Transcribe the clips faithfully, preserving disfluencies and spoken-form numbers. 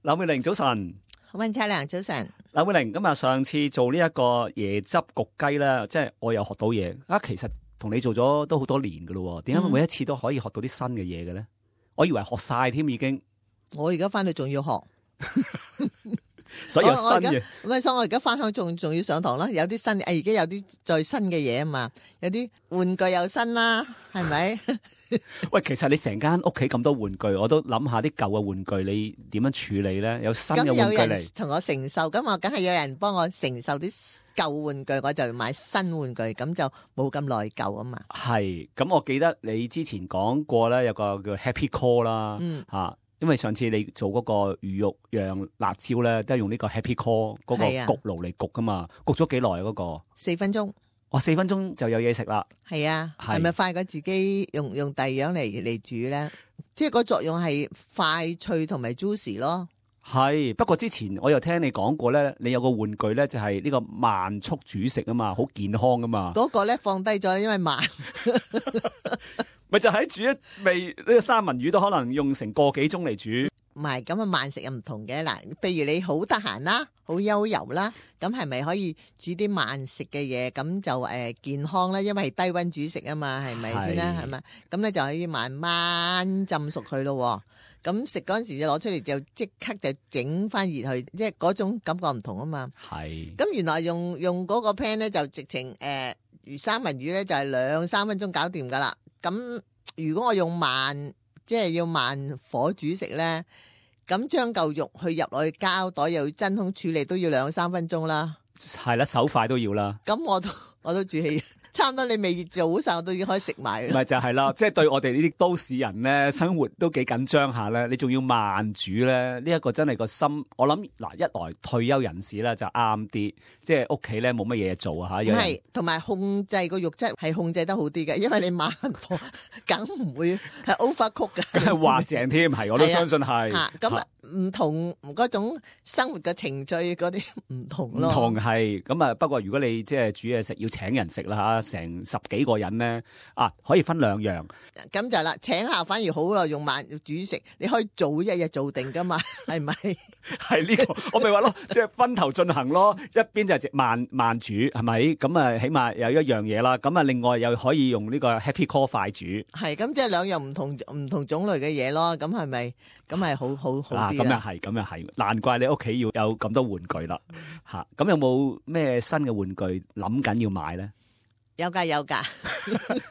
劉美玲早晨，溫差良早晨。劉美玲，咁啊上次做呢一個椰汁焗雞咧，即係我又學到嘢啊！其實同你做咗都好多年噶咯，點解每一次都可以學到啲新嘅嘢嘅咧？我以為學晒添已經，我而家翻去仲要學。所以有新嘅，咁啊，所以我而家翻鄉仲仲要上堂啦，有啲新，誒，而家有啲再新嘅嘢啊嘛，有啲玩具又新啦，係咪？喂，其實你成間屋企咁多玩具，我都諗下啲舊嘅玩具你點樣處理咧？有新嘅玩具嚟，同我承受，咁我梗係有人幫我承受啲舊玩具，我就買新玩具，咁就冇咁內疚啊嘛。係，咁我記得你之前講過咧，有個叫 Happy Core 啦，嗯，吓。因為上次你做嗰個魚肉釀辣椒咧，都係用呢個 Happy Core 嗰個焗爐嚟焗噶嘛，焗咗幾耐啊？嗰個四分鐘，哇，四分鐘就有嘢食啦。係啊，係咪快過自己用用第二樣嚟嚟煮咧？即係個作用係快脆同埋 juicy 咯。係，不過之前我又聽你講過咧，你有個玩具咧就係呢個慢速煮食啊嘛，好健康噶嘛。嗰個咧放低咗，因為慢。咪就喺煮一味呢個三文魚都可能用成個幾鐘嚟煮，唔係咁啊，慢食又唔同嘅嗱。譬如你好得閒啦，好悠遊啦，咁係咪可以煮啲慢食嘅嘢？咁就誒、呃、健康啦，因為係低溫煮食啊嘛，係咪先啦？係咪？咁咧就可以慢慢浸熟佢咯。咁食嗰陣時就攞出嚟就即刻就整翻熱去，即係嗰種感覺唔同啊嘛。係。咁原來用用嗰個 pan 咧就直情誒魚三文魚咧就係兩三分鐘搞掂噶啦。咁如果我用慢，即係要慢火煮食咧，咁將嚿肉去入落去膠袋，又要真空處理，都要兩三分鐘啦。係啦，手快都要啦。咁我都我都煮起，差唔多你未做好晒，我都已經可以食埋。咪就係啦，即係對我哋呢啲都市人咧，生活都幾緊張下咧，你仲要慢煮咧，呢一個真係個心。我諗嗱，一來退休人士咧就啱啲，即係屋企咧冇乜嘢做啊吓。係，同埋控制個肉質係控制得好啲嘅，因為你慢火梗唔會係 overcook 嘅，滑淨添，係我都相信係。咁唔同嗰種生活嘅程序嗰啲唔同咯。唔同係咁啊，不過如果你即係煮嘢食要請人食啦吓，成十幾個人咧啊，可以分兩樣。咁就啦，請客反而好咯，用慢煮食，你可以早一日做定噶嘛，係咪？係呢個，我咪話咯，即係分頭進行咯。一邊就係慢慢煮，係咪？咁啊，起碼有一樣嘢啦。咁啊，另外又可以用呢個 Happy Core 快煮。係，咁即係兩樣唔同唔同種類嘅嘢咯。咁係咪？咁係好好好啲。咁又係，咁又係，難怪你屋企要有咁多玩具啦。吓，咁有冇咩新嘅玩具諗緊要買咧？有噶有噶，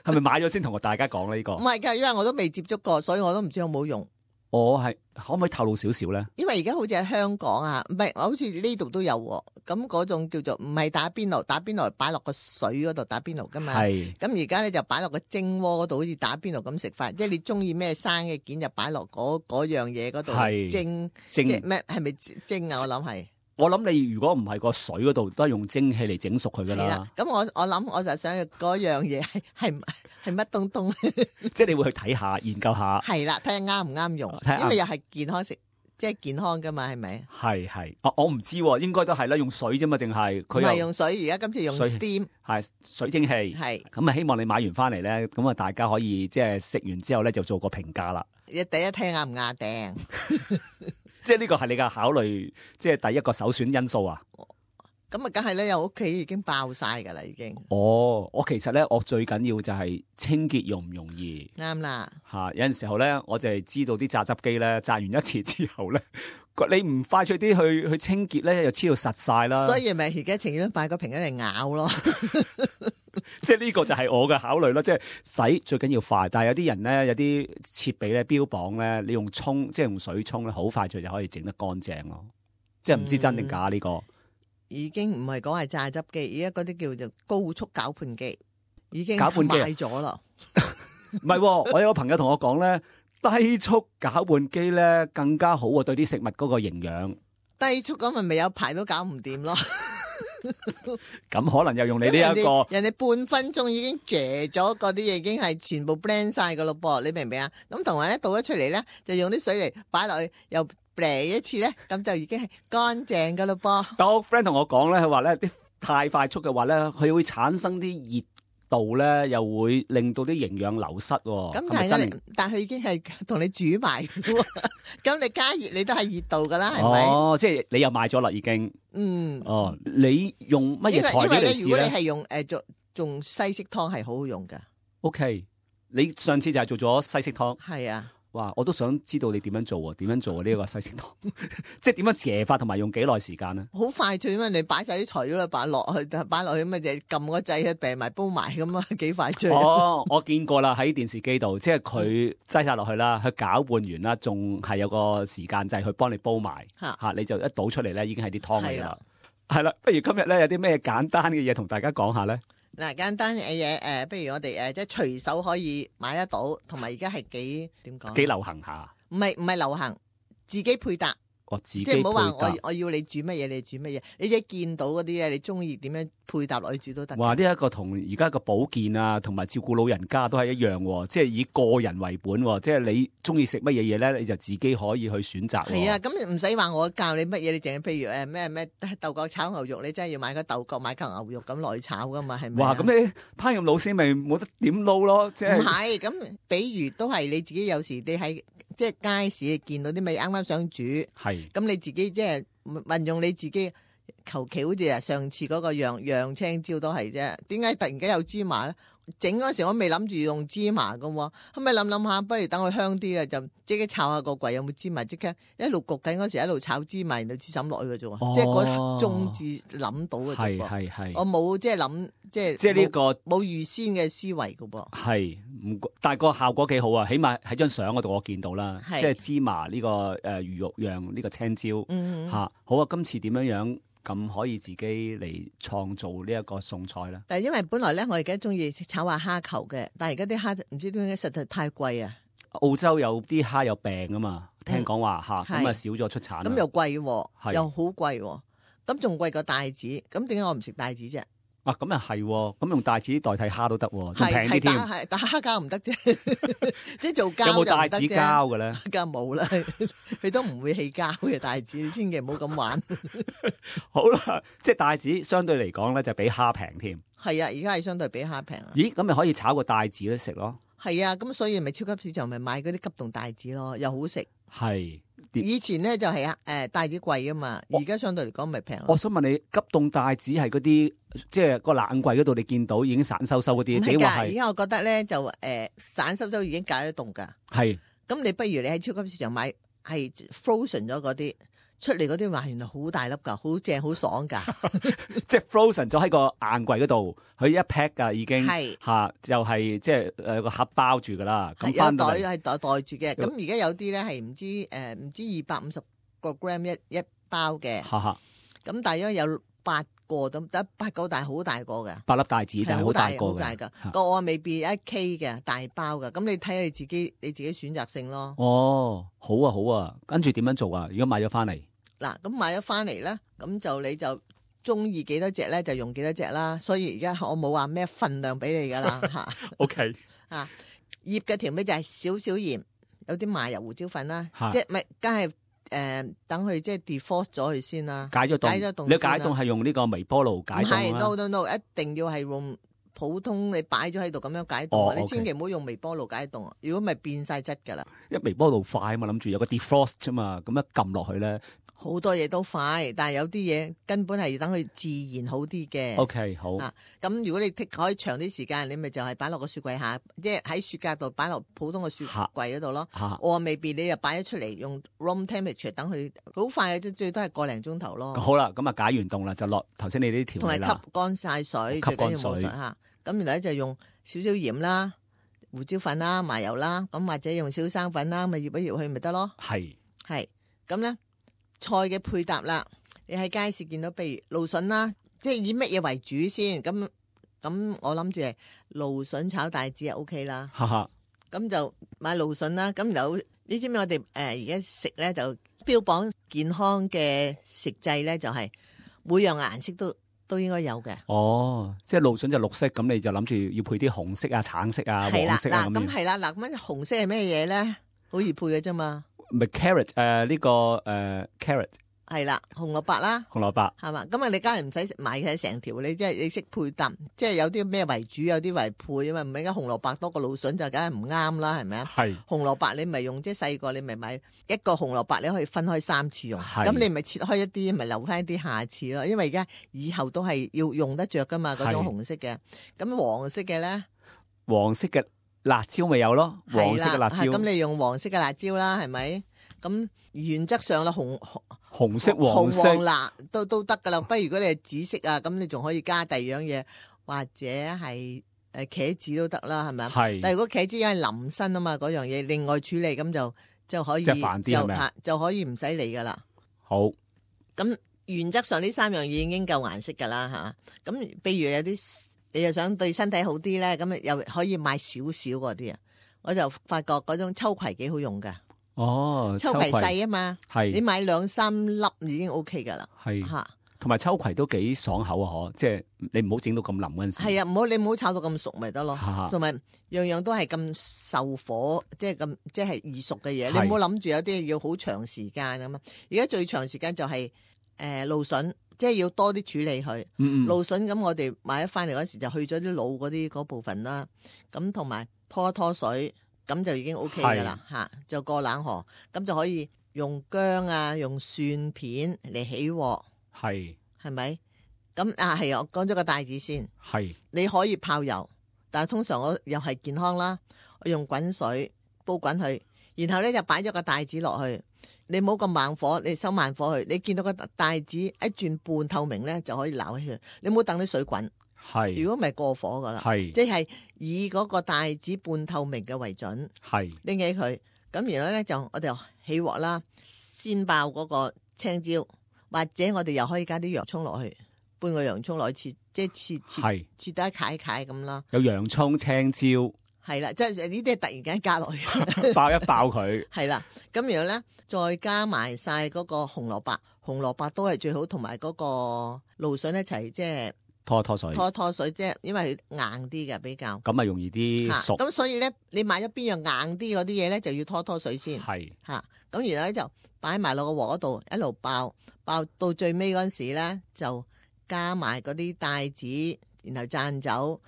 係咪買咗先同大家講咧？呢個唔係噶，因為我都未接觸過，所以我都唔知有冇用。我係可唔可以透露少少咧？因為而家好似喺香港啊，唔係，好似呢度都有咁嗰種叫做唔係打邊爐，打邊爐擺落個水嗰度打邊爐噶嘛。係咁而家咧就擺落個蒸鍋嗰度，好似打邊爐咁食法，即係你中意咩生嘅件就擺落嗰嗰樣嘢嗰度蒸蒸咩？係咪蒸啊？我諗係。我諗你如果唔係個水嗰度，都係用蒸汽嚟整熟佢噶啦。咁我我諗我就想嗰樣嘢係係係乜東東？即係你會去睇下研究下。係啦，睇下啱唔啱用，因為又係健康食，即係健康噶嘛，係咪？係係，我我唔知，應該都係啦，用水啫嘛，淨係佢唔係用水，而家今次用 steam，係水蒸氣。係咁啊，希望你買完翻嚟咧，咁啊，大家可以即係食完之後咧，就做個評價啦。第一聽啱唔啱訂？即係呢個係你嘅考慮，即係第一個首選因素啊！咁啊，梗係咧，有屋企已經爆晒噶啦，已經。哦，我其實咧，我最緊要就係清潔容唔容易。啱啦，吓有陣時候咧，我就係知道啲榨汁機咧，榨完一次之後咧，你唔快脆啲去去清潔咧，又黐到實晒啦。所以咪而家情願買個瓶嚟咬咯。即係呢個就係我嘅考慮咯，即係洗最緊要快，但係有啲人咧，有啲設備咧標榜咧，你用沖即係用水沖咧，好快脆就可以整得乾淨咯。即係唔知真定假呢個。嗯，已經唔係講係榨汁機，而家嗰啲叫做高速攪拌機，已經攪拌機買咗啦。唔係，我有個朋友同我講咧，低速攪拌機咧更加好啊，對啲食物嗰個營養。低速咁咪未有排都搞唔掂咯。咁可能又用你呢一個，人哋半分鐘已經嚼咗嗰啲嘢，已經係全部 blend 晒噶咯噃，你明唔明啊？咁同埋咧倒咗出嚟咧，就用啲水嚟擺落去，又 blend 一次咧，咁就已經係乾淨噶咯噃。但我 friend 同我講咧，佢話咧啲太快速嘅話咧，佢會產生啲熱度咧，又會令到啲營養流失喎。咁但係咧，但係佢已經係同你煮埋嘅喎。咁你加熱你都係熱度㗎啦，係咪？哦，即係你又買咗啦，已經。嗯。哦，你用乜嘢材料嚟試咧？如果你係用誒做做西式湯係好好用㗎。O K，你上次就係做咗西式湯。係啊。哇！我都想知道你點樣做喎？點樣做呢一個西式湯？即係點樣謝法同埋用幾耐時間咧？好快脆，因為你擺晒啲材料啦，擺落去，擺落去咁啊，就撳個掣，病埋煲埋咁啊，幾快脆。哦，我見過啦，喺電視機度，即係佢擠晒落去啦，佢攪拌完啦，仲係有個時間掣去幫你煲埋嚇、啊，你就一倒出嚟咧，已經係啲湯嚟啦。係啦，不如今日咧有啲咩簡單嘅嘢同大家講下咧？嗱，簡單嘅嘢誒，不如我哋誒即係隨手可以買得到，同埋而家係幾點講？幾流行下？唔係唔係流行，自己配搭。我自己即係唔好話我我要你煮乜嘢，你煮乜嘢，你自己見到嗰啲咧，你中意點樣配搭落去煮都得。哇！呢一個同而家個保健啊，同埋照顧老人家都係一樣喎，即係以個人為本喎，即係你中意食乜嘢嘢咧，你就自己可以去選擇。係啊，咁唔使話我教你乜嘢，你淨係譬如誒咩咩豆角炒牛肉，你真係要買個豆角買嚿牛肉咁落去炒噶嘛，係咪？哇！咁你烹飪老師咪冇得點撈咯，即係。唔係，咁比如都係你自己有時你喺即係街市見到啲咪啱啱想煮，係咁你自己即係運用你自己求其好似啊上次嗰個洋洋青椒都係啫，點解突然間有芝麻咧？整嗰時我未諗住用芝麻噶，後尾諗諗下，不如等佢香啲啊，就即刻炒下個櫃有冇芝麻，即刻一路焗緊嗰時一路炒芝麻，然後至抌落去嘅啫，哦、即係嗰刻中至諗到嘅啫噃。係係係，我冇即係諗即係即係呢個冇預先嘅思維噶噃。係唔但係個效果幾好啊，起碼喺張相嗰度我見到啦，即係芝麻呢、這個誒、呃、魚肉釀呢個青椒吓、嗯啊。好啊，今次點樣樣？咁可以自己嚟創造呢一個餸菜啦。但係因為本來咧，我而家中意炒下蝦球嘅，但係而家啲蝦唔知點解實在太貴啊。澳洲有啲蝦有病啊嘛，聽講話嚇，咁啊少咗出產。咁又貴，又好貴，咁仲貴過帶子。咁點解我唔食帶子啫？啊，咁又係，咁用帶子代替蝦都得，仲平啲添。係，但蝦膠唔得啫，即係做膠有冇帶子膠嘅咧？膠冇啦，佢都唔會起膠嘅帶子，你千祈唔好咁玩。好啦，即係帶子相對嚟講咧，就比蝦平添。係啊，而家係相對比蝦平啊。咦，咁咪可以炒個帶子咧食咯？係啊，咁所以咪超級市場咪買嗰啲急凍帶子咯，又好食。係。以前咧就係啊，誒帶子貴噶嘛，而家相對嚟講咪平。我想問你，急凍帶子係嗰啲，即係個冷櫃嗰度你見到已經散收收嗰啲，點話係？而家我覺得咧就誒、呃、散收收已經解得凍噶。係。咁你不如你喺超級市場買係 frozen 咗嗰啲。出嚟嗰啲話原來好大粒噶，好正好爽噶，即係 frozen 咗喺個硬櫃嗰度，佢一 pack 噶已經係吓、啊，就係即係誒個盒包住噶啦。咁有袋係袋袋住嘅。咁而家有啲咧係唔知誒唔知二百五十個 gram 一一包嘅，咁大約有八個咁，得八個大好大個嘅，八粒帶子但係好大個好大噶，個我未必一 K 嘅大包噶。咁你睇下你自己你自己選擇性咯。哦，好啊好啊，跟住點樣做啊？如果買咗翻嚟？嗱，咁買咗翻嚟咧，咁就你就中意幾多隻咧，就用幾多隻啦。所以而家我冇話咩份量俾你噶啦吓。O K， 啊，醃嘅調味就係少少鹽，有啲麻油胡椒粉啦，即係咪梗係誒等佢即係 defrost 咗佢先啦。解咗凍，解咗凍。你解凍係用呢個微波爐解凍啊？唔係 ，no no no，一定要係用普通你擺咗喺度咁樣解凍。哦 okay. 你千祈唔好用微波爐解凍，如果咪變晒質噶啦。因為微波爐快啊嘛，諗住有個 defrost 啫嘛，咁一撳落去咧。好多嘢都快，但係有啲嘢根本係要等佢自然好啲嘅。O K， 好。啊，咁如果你可以長啲時間，你咪就係擺落個雪櫃下，即係喺雪格度擺落普通嘅雪櫃嗰度咯。我未必你又擺咗出嚟用 room temperature 等佢好快嘅啫，最多係個零鐘頭咯。好啦，咁啊解完凍啦，就落頭先你啲調味啦。同埋吸乾晒水，最緊要冇水嚇。咁然後咧就用少少鹽啦、胡椒粉啦、麻油啦，咁或者用小生粉啦，咪醃一醃去咪得咯。係係咁咧。菜嘅配搭啦，你喺街市見到，譬如蘆筍啦，即係以乜嘢為主先？咁咁我諗住係蘆筍炒帶子就 O K 啦。咁就買蘆筍啦。咁有你知唔知我哋誒而家食咧就標榜健康嘅食製咧，就係每樣顏色都都應該有嘅。哦，即係蘆筍就綠色，咁你就諗住要配啲紅色啊、橙色啊、黃色啊咁樣。咁係啦，嗱咁紅色係咩嘢咧？好易配嘅啫嘛。咪 carrot 誒、呃、呢、這個誒、呃、carrot 係啦，紅蘿蔔啦，紅蘿蔔係嘛？咁啊，你梗係唔使買佢成條，你即係你識配搭，即係有啲咩為主，有啲為配啊嘛。唔係而家紅蘿蔔多過蘆筍就梗係唔啱啦，係咪啊？係紅蘿蔔你咪用即係細個，你咪買一個紅蘿蔔，你可以分開三次用。咁你咪切開一啲，咪留翻一啲下次咯。因為而家以後都係要用得着噶嘛，嗰種紅色嘅。咁黃色嘅咧，黃色嘅辣椒咪有咯，黃色嘅辣椒。咁你用黃色嘅辣椒啦，係咪？咁原則上啦，紅紅紅色、黃色、紅黃辣都都得噶啦。不過如果你係紫色啊，咁你仲可以加第二樣嘢，或者係誒茄子都得啦，係咪啊？係。但係如果茄子因為淋身啊嘛，嗰樣嘢另外處理咁就就可以即係煩啲係咪啊？就可以唔使理噶啦。好。咁原則上呢三樣嘢已經夠顏色噶啦嚇。咁譬如有啲你又想對身體好啲咧，咁又可以買少少嗰啲啊。我就發覺嗰種秋葵幾好用噶。哦，秋葵細啊嘛，係你買兩三粒已經 O K 噶啦，係吓，同埋秋葵都幾爽口啊！嗬，即係你唔好整到咁腍嗰陣時。係啊，唔好你唔好炒到咁熟咪得咯，哈同埋樣樣都係咁受火，即係咁即係易熟嘅嘢。你唔好諗住有啲要好長時間咁啊！而家最長時間就係誒蘆筍，即係要多啲處理佢。嗯嗯，蘆筍咁我哋買咗翻嚟嗰時就去咗啲腦嗰啲嗰部分啦，咁同埋拖一拖水。咁就已經 O K 噶啦嚇，就過冷河，咁就可以用薑啊，用蒜片嚟起鑊，係係咪？咁啊係啊，我講咗個帶子先，係你可以泡油，但係通常我又係健康啦，我用滾水煲滾佢，然後咧就擺咗個帶子落去，你唔好咁猛火，你收慢火去，你見到個帶子一轉半透明咧就可以撈起佢，你唔好等啲水滾。係，如果唔係過火噶啦，係即係以嗰個帶子半透明嘅為準，係拎起佢，咁然後咧就我哋起鑊啦，先爆嗰個青椒，或者我哋又可以加啲洋葱落去，半個洋葱落去切，即係切切切得一塊塊咁啦。有洋葱、青椒，係啦，即係呢啲係突然間加落去，爆一爆佢。係啦，咁然後咧再加埋晒嗰個紅蘿蔔，紅蘿蔔都係最好，同埋嗰個蘆筍一齊即係。拖一拖水，拖一拖水，即係因為佢硬啲嘅比較，咁啊容易啲熟。咁所以咧，你買咗邊樣硬啲嗰啲嘢咧，就要拖拖水先。係吓，咁然後咧就擺埋落個鑊嗰度，一路爆，爆到最尾嗰陣時咧，就加埋嗰啲帶子，然後讚酒，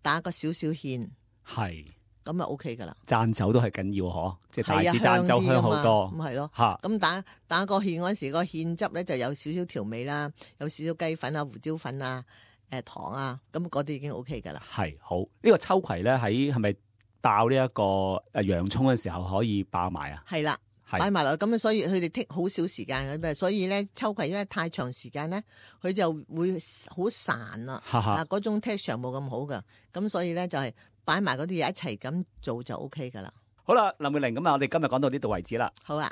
打個少少芡，係咁啊 OK 噶啦。讚酒都係緊要嗬，即係帶子讚讚酒香好多。咁係咯，吓，咁打打個芡嗰陣時，個芡汁咧就有少少調味啦，有少少雞粉啊、胡椒粉啊。誒糖啊，咁嗰啲已經 O K 噶啦。係好，呢、呢個秋葵咧喺係咪爆呢一個誒洋蔥嘅時候可以爆埋啊？係啦，擺埋落咁，所以佢哋剔好少時間嘅，所以咧秋葵因為太長時間咧，佢就會好散啦，啊嗰種 texture 冇咁好噶，咁所以咧就係擺埋嗰啲嘢一齊咁做就 O K 噶啦。好啦，林妙玲，咁啊，我哋今日講到呢度為止啦。好啊。